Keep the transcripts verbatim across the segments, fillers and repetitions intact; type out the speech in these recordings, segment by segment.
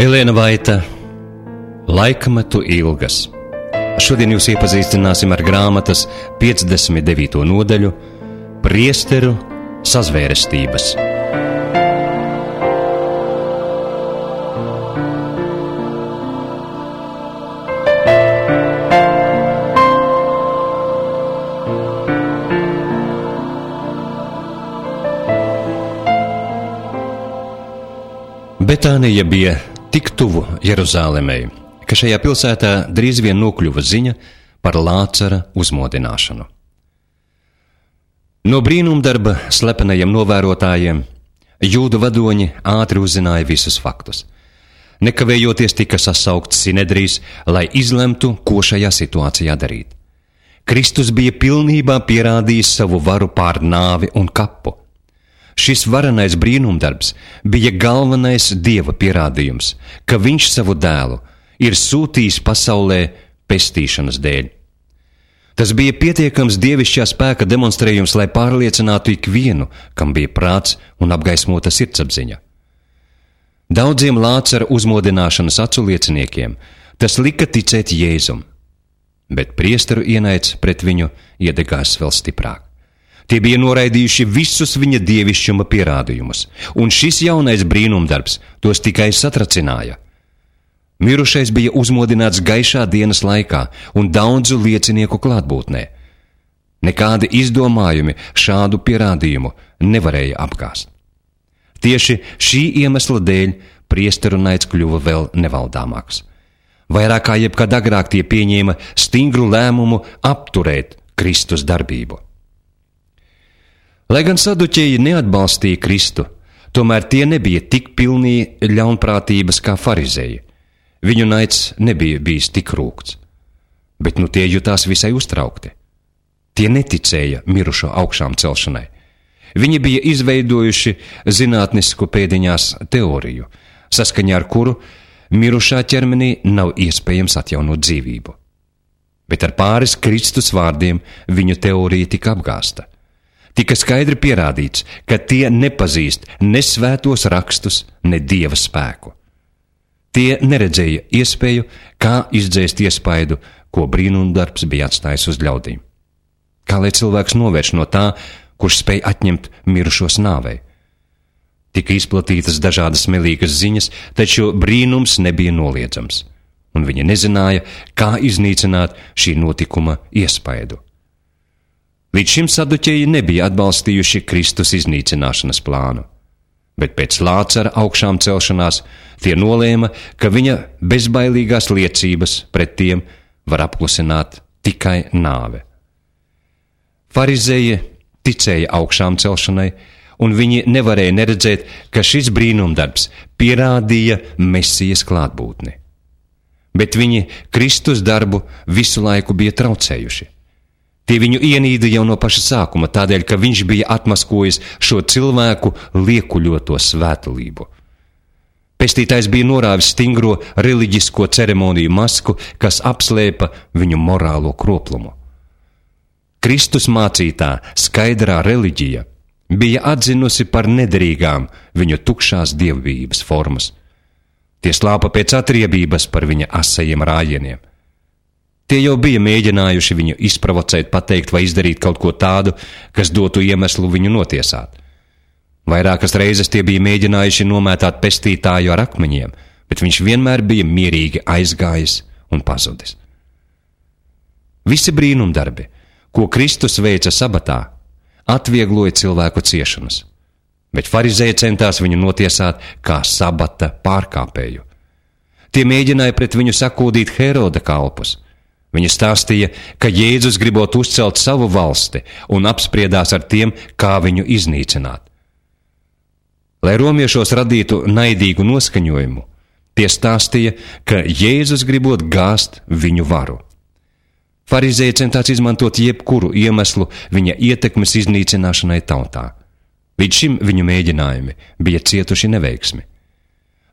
Elēna Vaita, Laikmetu ilgas. Šodien jūs iepazīstināsim ar grāmatas piecdesmit devīto nodaļu Priesteru sazvērestības. Betānija bija tik tuvu Jeruzālemei, ka šajā pilsētā drīz vien nokļuva ziņa par Lācara uzmodināšanu. No brīnumdarba slepenajiem novērotājiem jūdu vadoņi ātri uzzināja visus faktus. Nekavējoties tika sasaukts Sinedrijs, lai izlemtu, ko šajā situācijā darīt. Kristus bija pilnībā pierādījis savu varu pār nāvi un kapu. Šis varenais brīnumdarbs bija galvenais Dieva pierādījums, ka viņš savu dēlu ir sūtījis pasaulē pestīšanas dēļ. Tas bija pietiekams dievišķā spēka demonstrējums, lai pārliecinātu ikvienu, kam bija prāts un apgaismota sirdsapziņa. Daudziem Lācara uzmodināšanas aculieciniekiem tas lika ticēt Jēzum, bet priesteru ienaids pret viņu iedegās vēl stiprāk. Tie bija noraidījuši visus viņa dievišķuma pierādījumus, un šis jaunais brīnumdarbs tos tikai satracināja. Mirušais bija uzmodināts gaišā dienas laikā un daudzu liecinieku klātbūtnē. Nekādi izdomājumi šādu pierādījumu nevarēja apgāst. Tieši šī iemesla dēļ priesteru naids kļuva vēl nevaldāmāks. Vairāk kā jebkad agrāk tie pieņēma stingru lēmumu apturēt Kristus darbību. Lai gan saduķeji neatbalstīja Kristu, tomēr tie nebija tik pilni ļaunprātības kā farizēji. Viņu naids nebija bijis tik rūgts, bet nu tie jutās visai uztraukti. Tie neticēja mirušo augšām celšanai. Viņi bija izveidojuši zinātnisku pēdiņās teoriju, saskaņā ar kuru mirušā ķermenī nav iespējams atjaunot dzīvību. Bet ar pāris Kristus vārdiem viņu teorija tika apgāsta. Tika skaidri pierādīts, ka tie nepazīst ne svētos rakstus, ne Dieva spēku. Tie neredzēja iespēju, kā izdzēst iespaidu, ko brīnumdarbs bija atstājis uz ļaudīm. Kā lai cilvēks novērš no tā, kurš spēj atņemt mirušos nāvei. Tika izplatītas dažādas melīgas ziņas, taču brīnums nebija noliedzams, un viņi nezināja, kā iznīcināt šī notikuma iespaidu. Līdz šim saduķeji nebija atbalstījuši Kristus iznīcināšanas plānu, bet pēc Lācara augšām celšanās tie nolēma, ka viņa bezbailīgās liecības pret tiem var apklusināt tikai nāve. Farizēji ticēja augšām celšanai, un viņi nevarēja neredzēt, ka šis brīnumdarbs pierādīja Mesijas klātbūtni. Bet viņi Kristus darbu visu laiku bija traucējuši. Tie viņu ienīda jau no paša sākuma, tādēļ, ka viņš bija atmaskojis šo cilvēku liekuļoto svētulību. Pestītājs bija norāvis stingro reliģisko ceremoniju masku, kas apslēpa viņu morālo kroplumu. Kristus mācītā skaidrā reliģija bija atzinusi par nederīgām viņu tukšās dievbijības formas. Tie slāpa pēc atriebības par viņa asajiem rājieniem. Tie jau bija mēģinājuši viņu izprovocēt, pateikt vai izdarīt kaut ko tādu, kas dotu iemeslu viņu notiesāt. Vairākas reizes tie bija mēģinājuši nomētāt pestītāju ar akmeņiem, bet viņš vienmēr bija mierīgi aizgājis un pazudis. Visi brīnumdarbi, ko Kristus veica sabatā, atviegloja cilvēku ciešanas, bet farizēji centās viņu notiesāt kā sabata pārkāpēju. Tie mēģināja pret viņu sakūdīt Heroda kalpus. Viņi stāstīja, ka Jēzus gribot uzcelt savu valsti un apspriedās ar tiem, kā viņu iznīcināt. Lai romiešos radītu naidīgu noskaņojumu, tie stāstīja, ka Jēzus gribot gāzt viņu varu. Farizēji centās izmantot jebkuru iemeslu viņa ietekmes iznīcināšanai tautā. Līdz šim viņu mēģinājumi bija cietuši neveiksmi.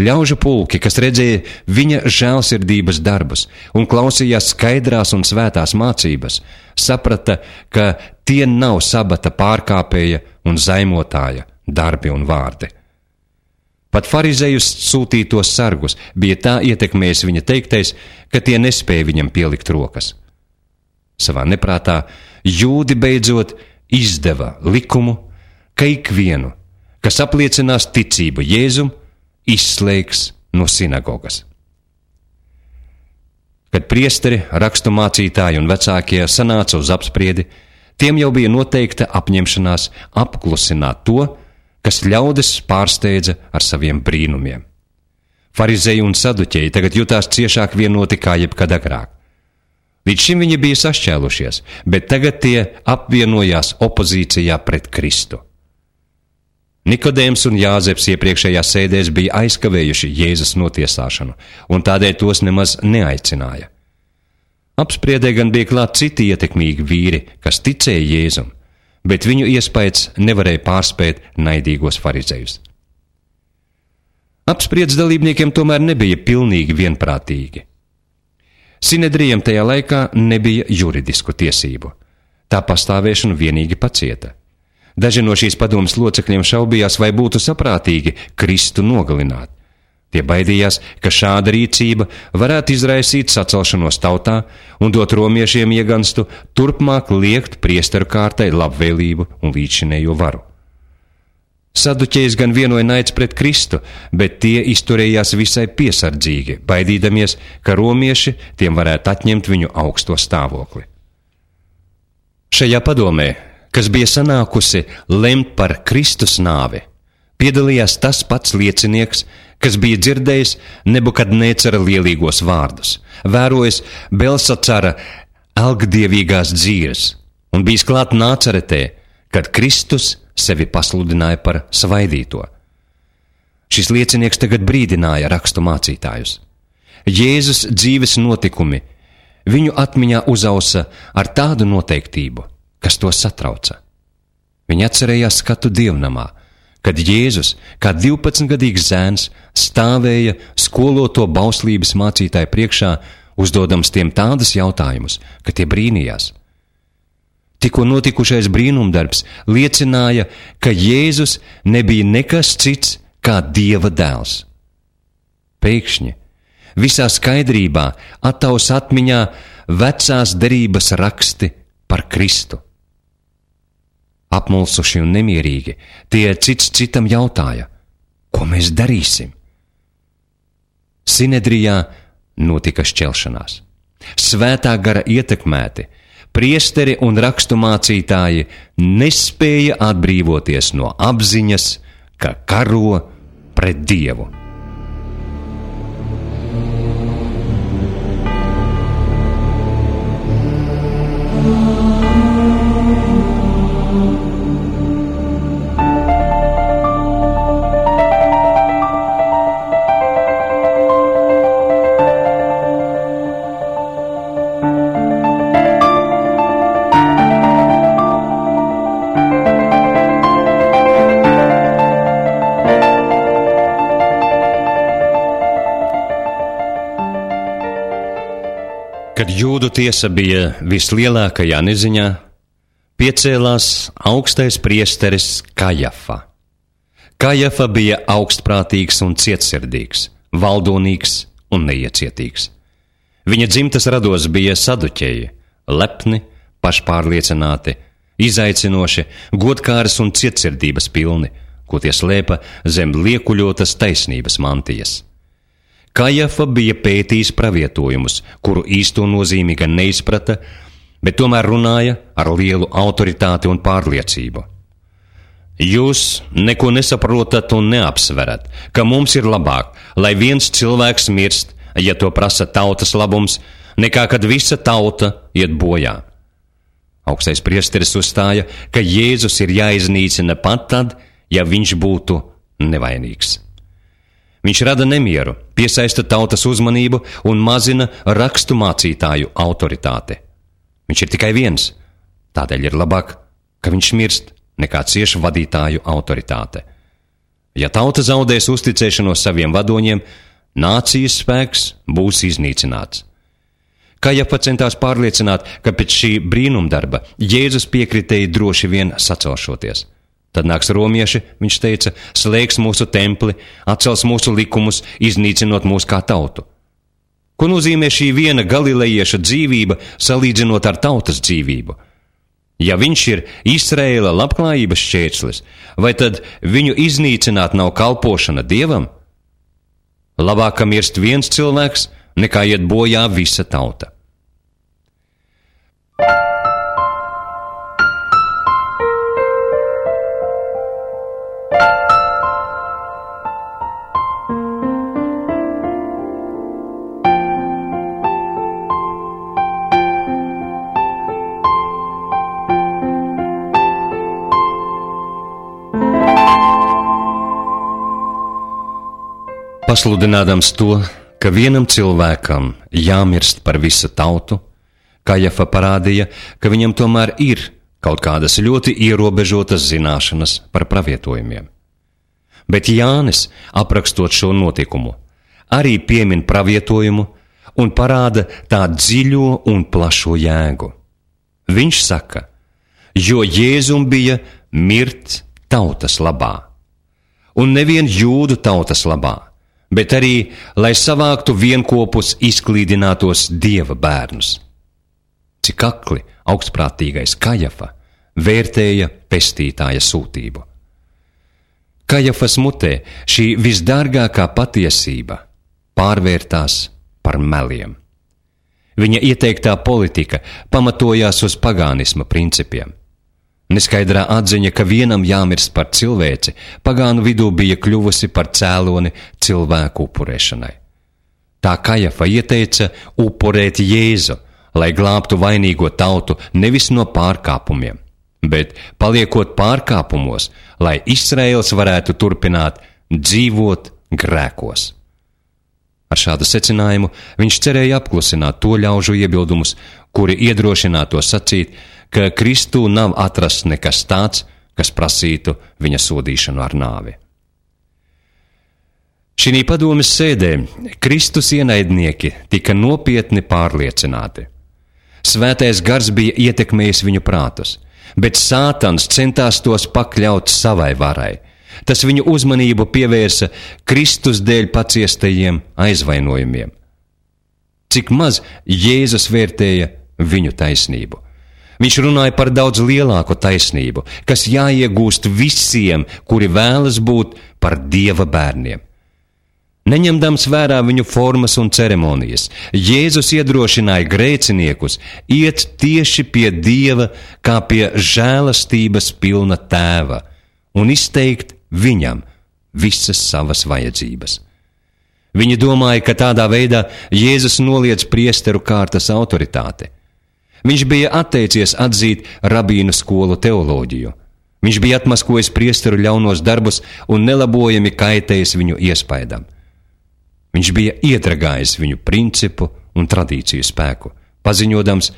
Ļaužu pulki, kas redzēja viņa žēlsirdības darbus un klausījās skaidrās un svētās mācības, saprata, ka tie nav sabata pārkāpēja un zaimotāja darbi un vārdi. Pat farizejus sūtītos sargus bija tā ietekmējis viņa teiktais, ka tie nespēja viņam pielikt rokas. Savā neprātā jūdi beidzot izdeva likumu, ka ikvienu, kas apliecinās ticību Jēzum, izslēgs no sinagogas. Kad priesteri, rakstu mācītāji un vecākie sanāca uz apspriedi, tiem jau bija noteikta apņemšanās apklusināt to, kas ļaudis pārsteidza ar saviem brīnumiem. Farizeji un saduķeji tagad jutās ciešāk vienoti kā jebkad agrāk. Līdz šim viņi bija sašķēlušies, bet tagad tie apvienojās opozīcijā pret Kristu. Nikodēms un Jāzeps iepriekšējās sēdēs bija aizkavējuši Jēzus notiesāšanu, un tādēļ tos nemaz neaicināja. Apspriedē gan bija klāt citi ietekmīgi vīri, kas ticēja Jēzum, bet viņu iespējas nevarēja pārspēt naidīgos farizejus. Apspriedes dalībniekiem tomēr nebija pilnīgi vienprātīgi. Sinedrijam tajā laikā nebija juridisku tiesību. Tā pastāvēšanu vienīgi pacieta. Daži no šīs padomas locekļiem šaubījās, vai būtu saprātīgi Kristu nogalināt. Tie baidījās, ka šāda rīcība varētu izraisīt sacelšanos tautā un dot romiešiem ieganstu turpmāk liekt priesteru kārtai labvēlību un līdzšinējo varu. Saduķejs gan vienoja naids pret Kristu, bet tie izturējās visai piesardzīgi, baidīdamies, ka romieši tiem varētu atņemt viņu augsto stāvokli. Šajā padomē, kas bija sanākusi lemt par Kristus nāvi, piedalījās tas pats liecinieks, kas bija dzirdējis Nebukadnēcara lielīgos vārdus, vērojis Belsacara elgdievīgās dzīves un bijis klāt Nācaretē, kad Kristus sevi pasludināja par svaidīto. Šis liecinieks tagad brīdināja rakstu mācītājus. Jēzus dzīves notikumi viņu atmiņā uzausa ar tādu noteiktību, kas to satrauca. Viņi atcerējās skatu dievnamā, kad Jēzus, kā divpadsmitgadīgs zēns, stāvēja skoloto bauslības mācītāju priekšā, uzdodams tiem tādus jautājumus, ka tie brīnījās. Tikko notikušais brīnumdarbs liecināja, ka Jēzus nebija nekas cits kā Dieva dēls. Pēkšņi, visā skaidrībā attaus atmiņā vecās derības raksti par Kristu. Apmulsuši un nemierīgi, tie cits citam jautāja, ko mēs darīsim? Sinedrijā notika šķelšanās. Svētā gara ietekmēti, priesteri un rakstu mācītāji nespēja atbrīvoties no apziņas, ka karo pret Dievu. Kad jūdu tiesa bija vislielākajā neziņā, piecēlās augstais priesteris Kajafa. Kajafa bija augstprātīgs un cietsirdīgs, valdonīgs un neiecietīgs. Viņa dzimtas rados bija saduķeji, lepni, pašpārliecināti, izaicinoši, godkāras un cietsirdības pilni, ko tie slēpa zem liekuļotas taisnības mantijas. Kajafa bija pētījis pravietojumus, kuru īsto nozīmi gan neizprata, bet tomēr runāja ar lielu autoritāti un pārliecību. Jūs neko nesaprotat un neapsverat, ka mums ir labāk, lai viens cilvēks mirst, ja to prasa tautas labums, nekā kad visa tauta iet bojā. Augstais priesteris uzstāja, ka Jēzus ir jāiznīcina pat tad, ja viņš būtu nevainīgs. Viņš rada nemieru, piesaista tautas uzmanību un mazina rakstu mācītāju autoritāti. Viņš ir tikai viens, tādēļ ir labāk, ka viņš mirst, nekā cieši vadītāju autoritāte. Ja tauta zaudēs uzticēšanos saviem vadoņiem, nācijas spēks būs iznīcināts. Kajafa centās pārliecināt, ka pēc šī brīnumdarba Jēzus piekritēja droši vien sacelšoties. Tad nāks romieši, viņš teica, slēgs mūsu templi, atcels mūsu likumus, iznīcinot mūs kā tautu. Ko nozīmē šī viena galilejieša dzīvība salīdzinot ar tautas dzīvību? Ja viņš ir Izraēla labklājības šķērslis, vai tad viņu iznīcināt nav kalpošana Dievam? Labāk, ka mirst viens cilvēks, nekā iet bojā visa tauta. Pasludinādams to, ka vienam cilvēkam jāmirst par visu tautu, Kajafa parādīja, ka viņam tomēr ir kaut kādas ļoti ierobežotas zināšanas par pravietojumiem. Bet Jānis, aprakstot šo notikumu, arī piemin pravietojumu un parāda tā dziļo un plašo jēgu. Viņš saka, jo Jēzum bija mirt tautas labā, un nevien jūdu tautas labā, bet arī, lai savāktu vienkopus izklīdinātos Dieva bērnus. Cik akli augstprātīgais Kajafa vērtēja pestītāja sūtību. Kajafas mutē šī visdārgākā patiesība pārvērtās par meliem. Viņa ieteiktā politika pamatojās uz pagānisma principiem. Neskaidrā atziņa, ka vienam jāmirst par cilvēci, pagānu vidū bija kļuvusi par cēloni cilvēku upurēšanai. Tā Kajafa ieteica upurēt Jēzu, lai glābtu vainīgo tautu nevis no pārkāpumiem, bet paliekot pārkāpumos, lai Izraēls varētu turpināt dzīvot grēkos. Ar šādu secinājumu viņš cerēja apklusināt to ļaužu iebildumus, kuri iedrošināto sacīt, ka Kristū nav atrasts nekas tāds, kas prasītu viņa sodīšanu ar nāvi. Šī padomes sēdē Kristus ienaidnieki tika nopietni pārliecināti. Svētais gars bija ietekmējis viņu prātus, bet Sātans centās tos pakļaut savai varai. Tas viņu uzmanību pievērsa Kristus dēļ paciestajiem aizvainojumiem. Cik maz Jēzus vērtēja viņu taisnību. Viņš runāja par daudz lielāku taisnību, kas jāiegūst visiem, kuri vēlas būt par Dieva bērniem. Neņemdams vērā viņu formas un ceremonijas, Jēzus iedrošināja grēciniekus iet tieši pie Dieva kā pie žēlastības pilna tēva un izteikt viņam visas savas vajadzības. Viņi domāja, ka tādā veidā Jēzus noliedz priesteru kārtas autoritāti. Viņš bija atteicies atzīt rabīnu skolu teoloģiju. Viņš bija atmaskojis priesteru ļaunos darbus un nelabojami kaitējis viņu iespaidam. Viņš bija iedragājis viņu principu un tradīciju spēku, paziņodams,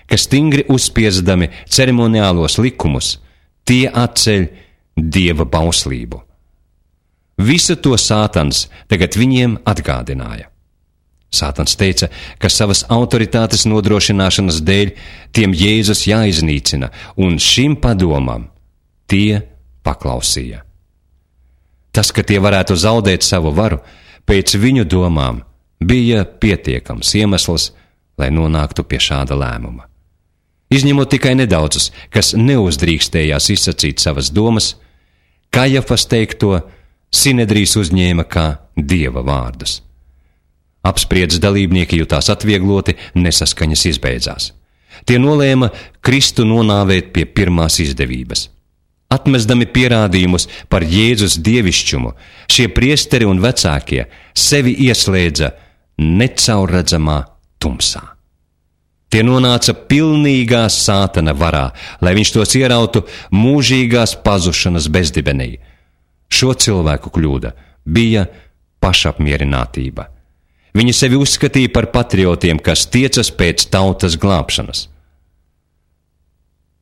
ka stingri uzspiesdami ceremoniālos likumus, tie atceļ Dieva bauslību. Visu to Sātans tagad viņiem atgādināja. Sātans teica, ka savas autoritātes nodrošināšanas dēļ tiem Jēzus jāiznīcina, un šim padomam tie paklausīja. Tas, ka tie varētu zaudēt savu varu, pēc viņu domām bija pietiekams iemesls, lai nonāktu pie šāda lēmuma. Izņemot tikai nedaudzus, kas neuzdrīkstējās izsacīt savas domas, Kajafas teikto Sinedrijs uzņēma kā Dieva vārdus. Apspriedes dalībnieki jutās atviegloti, nesaskaņas izbeidzās. Tie nolēma Kristu nonāvēt pie pirmās izdevības. Atmesdami pierādījumus par Jēzus dievišķumu, šie priesteri un vecākie sevi ieslēdza necaurredzamā tumsā. Tie nonāca pilnīgā Sātana varā, lai viņš tos ierautu mūžīgās pazušanas bezdibenī. Šo cilvēku kļūda bija pašapmierinātība. Viņi sevi uzskatīja par patriotiem, kas tiecas pēc tautas glābšanas.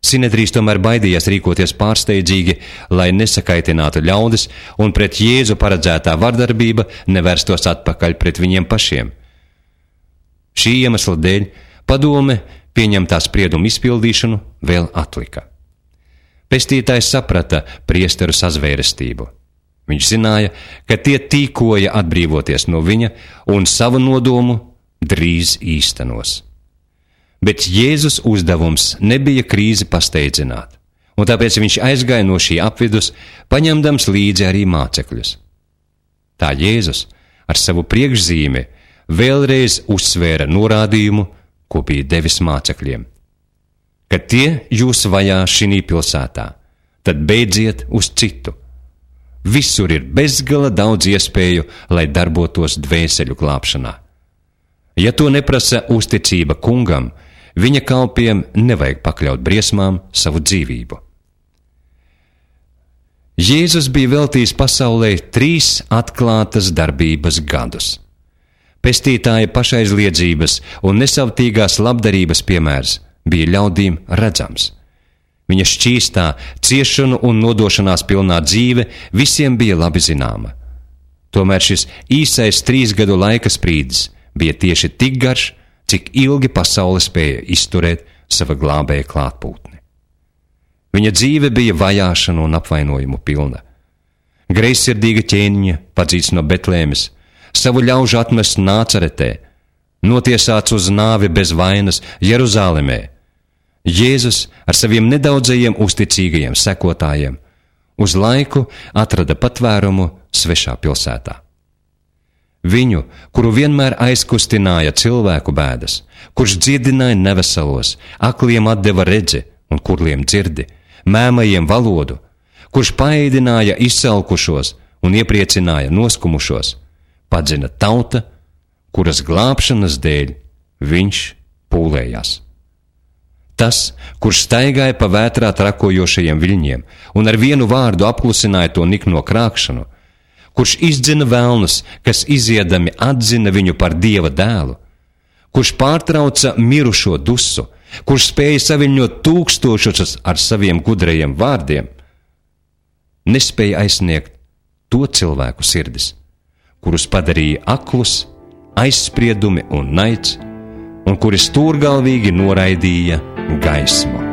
Sinedrijs tomēr baidījās rīkoties pārsteidzīgi, lai nesakaitinātu ļaudis un pret Jēzu paredzētā vardarbība nevērstos atpakaļ pret viņiem pašiem. Šī iemesla dēļ padome pieņemtā sprieduma izpildīšanu vēl atlika. Pestītājs saprata priesteru sazvērestību. Viņš zināja, ka tie tīkoja atbrīvoties no viņa un savu nodomu drīz īstenos. Bet Jēzus uzdevums nebija krīzi pasteidzināt, un tāpēc viņš aizgāja no šī apvidus, paņemdams līdzi arī mācekļus. Tā Jēzus ar savu priekšzīmi vēlreiz uzsvēra norādījumu, ko bija devis mācekļiem. Kad tie jūs vajā šinī pilsētā, tad beidziet uz citu. Visur ir bezgala daudz iespēju, lai darbotos dvēseļu glābšanā. Ja to neprasa uzticība kungam, viņa kalpiem nevajag pakļaut briesmām savu dzīvību. Jēzus bija veltījis pasaulē trīs atklātas darbības gadus. Pestītāja pašaizliedzības un nesavtīgās labdarības piemērs bija ļaudīm redzams. Viņa šķīstā, ciešanu un nodošanās pilnā dzīve visiem bija labi zināma. Tomēr šis īsais trīs gadu laika sprīdis bija tieši tik garš, cik ilgi pasaule spēja izturēt sava glābēja klātbūtni. Viņa dzīve bija vajāšanu un apvainojumu pilna. Greizsirdīga ķēniņa, padzīts no Betlēmes, savu ļaužu atmest Nācaretē, notiesāts uz nāvi bez vainas Jeruzālemē. Jēzus ar saviem nedaudzajiem uzticīgajiem sekotājiem uz laiku atrada patvērumu svešā pilsētā. Viņu, kuru vienmēr aizkustināja cilvēku bēdas, kurš dziedināja neveselos, akliem atdeva redzi un kurliem dzirdi, mēmajiem valodu, kurš paēdināja izsalkušos un iepriecināja noskumušos, padzina tauta, kuras glābšanas dēļ viņš pūlējās. Tas, kurš staigāja pa vētrā trakojošajiem viļņiem un ar vienu vārdu apklusināja to nikno krākšanu, kurš izdzina velnus, kas iziedami atzina viņu par Dieva dēlu, kurš pārtrauca mirušo dusu, kurš spēja saviļņot tūkstošus ar saviem gudrajiem vārdiem, nespēja aizsniegt to cilvēku sirdis, kurus padarīja aklus, aizspriedumi un naids, un kuri stūrgalvīgi noraidīja gaismu.